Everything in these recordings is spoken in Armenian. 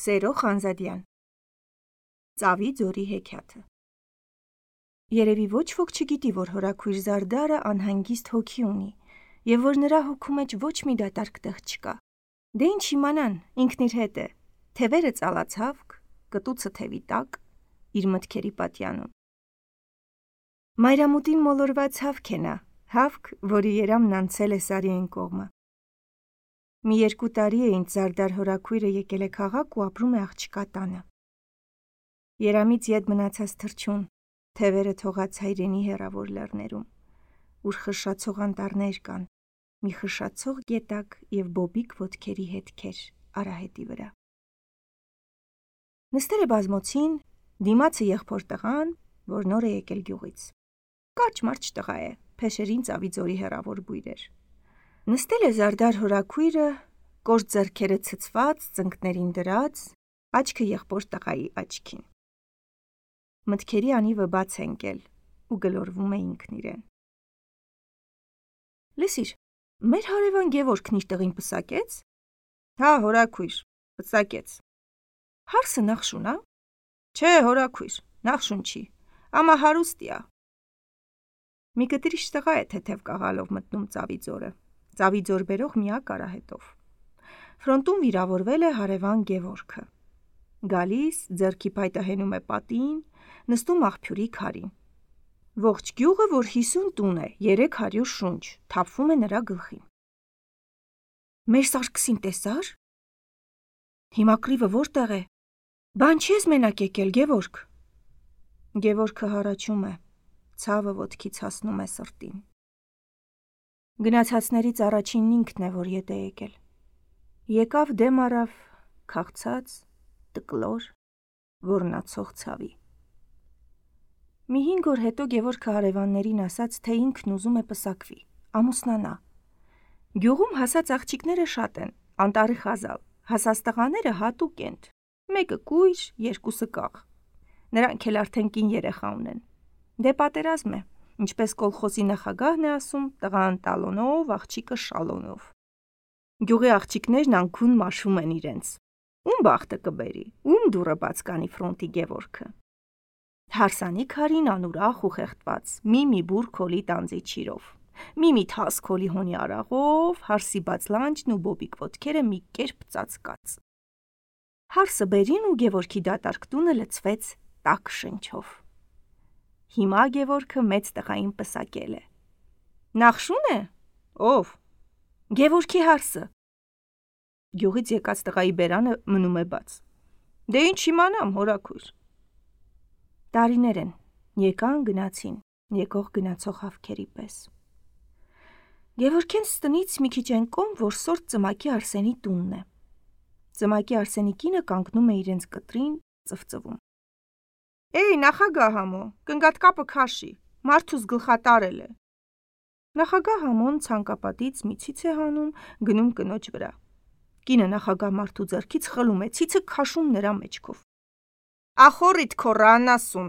Սերո Խանզադյան Ծավի ձորի հեքիաթը Երևի ոչ ոք չգիտի, որ հորաքույր Զարդարը անհանգիստ հոգի ունի և որ նրա հոգու մեջ ոչ մի դատարկ տեղ չկա։ Դե ինչ իմանան, ինքն իր հետ է, թևերը ծալած հավք, կտուցը թևի տակ, իր մտքերի պատյանում։ Մայրամուտին մոլորված հավք է նա, հավք, որի երամն անցել է Սարի այն կողմը։ Մի 2 տարի է ինչ Զարդար հորաքույրը եկել է քաղաք ու ապրում է աղջկա տանը։ Երամից ետ մնացած թռչուն, թևերը թողած հայրենի հեռավոր լեռներում, ուր խշշացող անտառներ կան, մի խշշացող գետակ և բոբիկ ոտքերի հետքեր արահետի վրա։ Նստել է բազմոցին, դիմացը եղբոր տղան, որ նոր է եկել գյուղից։ Կարճ-մարճ տղա է, փեշերին ծավի ձորի հեռավոր բույր էր։ Նստել է Զարդար հորաքույրը, կոշտ ձեռքերը ցցված, ծնկներին դրած, աչքը եղբոր տղայի աչքին։ Մտքերի անիվը բաց է ընկել ու գլորվում է ինքն իրեն։ Լսիր, մեր հարևան Գևորգն իր տղին պսակեց։ Հա, հորաքույր, պսակեց։ Հարսը նախշուն ա։ Չէ, հորաքույր, նախշուն չի, ամա հարուստի ա։ Մի կտրիչ տղա է թեթև կաղալով մտնում ծավի ձորը, ծավի ձոր բերող միակ արահետով։ Ֆրոնտում վիրավորվել է հարևան Գևորգը։ Գալիս, ձեռքի փայտը հենում է պատին, նստում աղբյուրի քարին։ Ողջ գյուղը, որ 50 տուն է, 300 շունչ, թափվում է նրա գլխին։ Մեր Սարգսին տեսա՞ր։ Հիմա կռիվը որտեղ է։ Բան չես մենակ եկել, Գևորգ։ Գևորգը հառաչում է, ցավը ոտքից հասնում է սրտին։ Գնացածներից առաջինն ինքն է, որ ետ է եկել։ Եկավ դեմ առավ, քաղցած, տկլոր, ոռնացող ցավի։ Մի 5 օր հետո Գևորգը հարևաններին ասաց, թե ինքն ուզում է պսակվի, ամուսնանա։ Գյուղում հասած աղջիկները շատ են, անտառի խազալ, հասած տղաները հատուկ են, մեկը կույր, 2-ը կաղ։ Նրանք էլ արդեն կին երեխա ունեն։ Դե պատերազմ է, ինչպես կոլխոզի նախագահն է ասում, տղան տալոնով, աղջիկը շալոնով։ Գյուղի աղջիկներն անքուն մաշում են իրենց։ Ում բախտը կբերի, ում դուռը բաց կանի ֆրոնտի Գևորգը։ Հարսանի քարին անուրախ ու խեղդված, մի բուր քոլի տանձի չիրով, մի թաս քոլի հոնի արաղով, հարսի բաց լանջն ու բոբիկ ոտքերը մի կերպ ծածկած։ Հարսը բերին ու Գևորգի դատարկ տունը լցվեց տաք շնչով։ Հիմա Գևորգը մեծ տղային պսակել է։ Նախշուն է։ Ով։ Գևորգի հարսը։ Գյուղից եկած տղայի բերանը մնում է բաց։ Դե ինչ իմանամ, հորաքույր։ Տարիներ են, եկան գնացին, եկող գնացող հավքերի պես։ Գևորգենց տնից մի քիչ այն կողմ, որ սորտ Ծմակի Արսենի տունն է։ Ծմակի Արսենի կինը կանգնում է իրենց կտրին, ծվծվում։ Էй, նախագահ համո, կնգատ կապը քաշի, մարդուս գլխատարել է։ Նախագահ համոն ցանկապատից մի ցից է հանում, գնում կնոջ վրա։ Կինը նախագահ մարդու ձեռքից խլում է, ցիցը քաշում նրա մեջքով։ Ախորիդ քոռան ասում։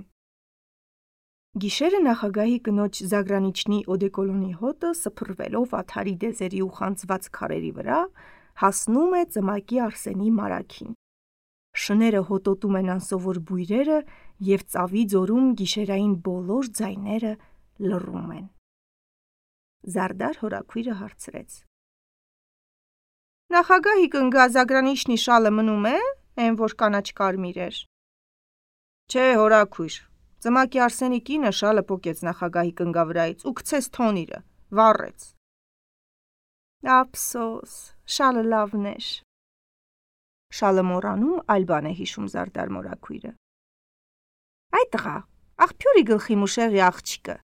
Գիշերը նախագահի կնոջ Զագրանիչնի օդեկոլոնի հոտը սփռվելով աթարի դեզերի ու խանձված քարերի վրա հասնում է Ծմակի Արսենի մարագին։ Շները հոտոտում են անսովոր բույրերը և ծավի ձորում գիշերային բոլոր ձայները լռում են։ Զարդար հորաքույրը հարցրեց. Նախագահի կնգա Զագրանիչնի շալը մնում է, այն որ կանաչ կարմիր էր։ Չէ, հորաքույր, Ծմակի Արսենի կինը շալը պոկեց նախագահի կնգա վրայից ու գցեց թոնիրը, վառեց։ Ափսոս, շալը լավն էր։ Շալը մոռանում այլ բան է հիշում Զարդար մորաքույրը։ Այ տղա, աղբյուրի գլխի մուշեղի աղջիկը։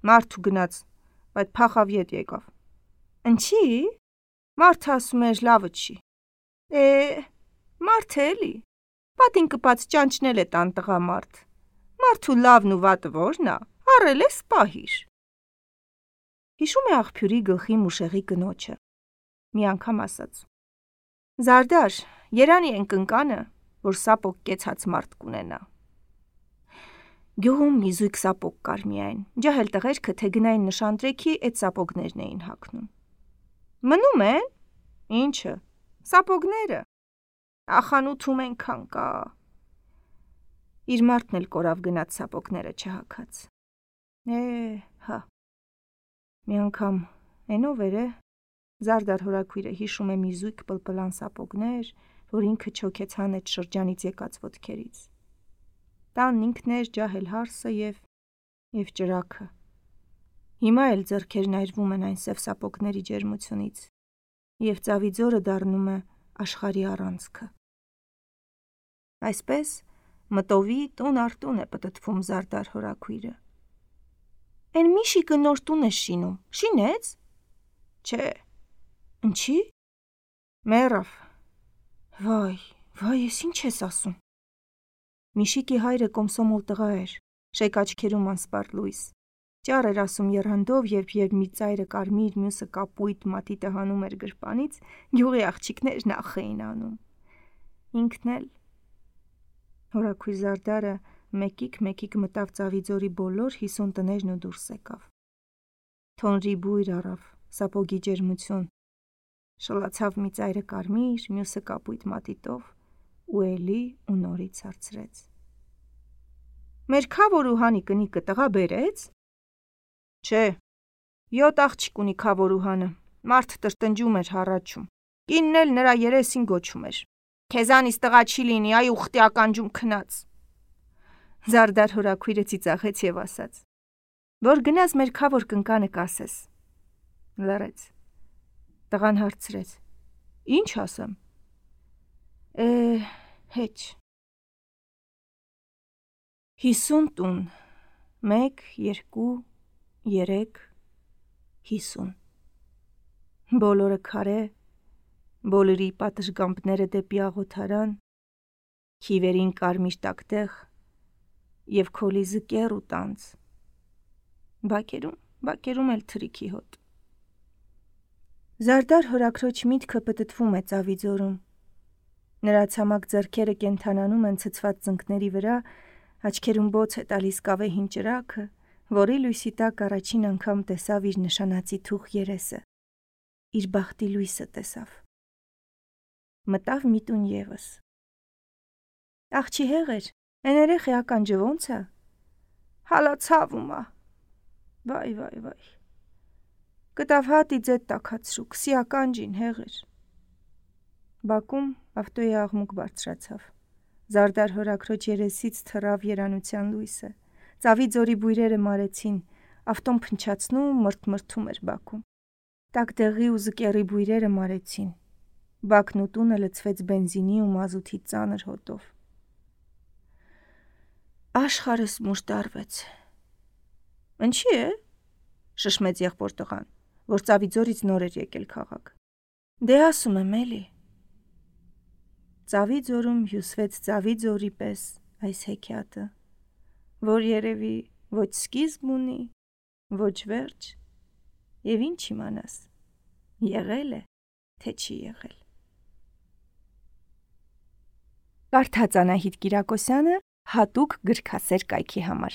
Մարդու գնաց, բայց փախավ ետ եկավ։ Ընչի։ Մարդը ասում էր լավը չի։ Մարդը էլի։ Պատին կպած ճանճնել է տան տղա մարդ։ Մարդու լավն ու վատը որն ա, առել է սպահիր։ Հիշում է աղբյուրի գլխի մուշեղի կնոջը։ Մի անգամ ասաց. Զարդար, երանի են կնկանը, որ սապոկ կեցած մարդ կունենա։ Գյուղում մի զույգ սապոկ կար միայն, ջահել տղերքը թե գնային նշանտրեքի էդ սապոգներն էին հագնում։ Մնում են։ Ինչը։ Սապոգները։ Ախանութում ենքան կա։ Իր մարդն էլ կորավ գնաց սապոգները չհակած։ Հա։ Մի անգամ էնով էր է, Զարդար հորաքույրը հիշում է մի զույգ պլպլան սապոգներ, որ ինքը չոքեց հանեց շրջանից եկած ոտքերից։ Տանն ինքն էր ջահել հարսը և ճրագը։ Հիմա էլ ձեռքերն այրվում են այն սև սապոգների ջերմությունից, և ծավի ձորը դառնում է աշխարհի առանցքը։ Այսպես մտովի տուն առ տուն է պտտվում Զարդար հորաքույրը։ Էն Միշիկը նոր տուն է շինում, շինեց։ Չէ։ Ինչի՞։ Մեռավ։ Վայ, ես ինչ ես ասում։ Միշիկի հայրը կոմսոմոլ տղա էր, շեկ աչքերում անսպառ լույս։ Ճառ էր ասում եռանդով, երբ մի ծայրը կարմիր, մյուսը կապույտ մատիտը հանում էր գրպանից, գյուղի աղջիկներն ախ էին անում։ Ինքն էլ։ Հորաքույր Զարդարը մեկիկ մտավ Ծավիձորի բոլոր 50 տներն ու դուրս եկավ։ Թոնրի բույր առավ, սապոգի ջերմություն, շլացավ մի ծայրը կարմիր, մյուսը կապույտ մատիտով ու էլի ու նորից հարցրեց. Մեր Քավորուհանի կնիկը տղա բերեց։ Չէ, 7 աղջիկ ունի Քավորուհանը, մարդ տրտնջում էր հառաչում, կինն էլ նրա երեսին գոչում էր. Քեզանից տղա չի լինի, այ ուխտի ականջում քնած։ Զարդար հորաքույրը ծիծաղեց և ասաց. Որ գնաս մեր Քավոր կնկանը կասես։ Լռեց։ Տղան հարցրեց. Ինչ ասեմ։ Հեչ։ 50 տուն, 1, 2, 3, 50։ Բոլորը քարե, բոլորի պատշգամբները դեպի աղոթարան, քիվերին կարմիր տակտեղ և քոլիզը կեռ ու տանձ, բակերում էլ թրիքի հոտ։ Զարդար հորաքրոջ միտքը պտտվում է Ծավիձորում։ Նրա ցամաք ձեռքերը կենդանանում են ցցված ծնկների վրա, աչքերում բոց է տալիս կավե հին ճրագը, որի լույսի տակ առաջին անգամ տեսավ իր նշանածի թուխ երեսը, իր բախտի լույսը տեսավ։ Մտավ մի տուն ևս։ Աղջի հեղեր, էն երեխի ականջը ոնց է։ Հալա ցավում է։ Վայ։ Կտավ հատի ձետ տակացրու, քսի ականջին հեղեր։ Բակում ավտոյի աղմուկ բարձրացավ։ Զարդար հորաքրոջ երեսից թռավ երանության լույսը։ Ծավիձորի բույրերը մարեցին, ավտոն փնչացնում, մրթմրթում էր բակում։ Տակտեղի ու զկեռի բույրերը մարեցին։ Բակն ու տունը լցվեց բենզինի ու մազութի ծանր հոտով։ Աշխարհս մուժտարվեց։ Ինչի՞ է։ Շշմեց եղբոր տղան, որ Ծավիձորից նոր էր եկել քաղաք։ Դե ասում եմ էլի։ Ծավիձորում հյուսվեց Ծավիձորի պես այս հեքիաթը, որ երևի ոչ սկիզբ ունի, ոչ վերջ, և ինչ իմանաս, եղել է, թե չի եղել։ Կարդաց Անահիտ Կիրակոսյանը հատուկ գրքասեր կայքի համար։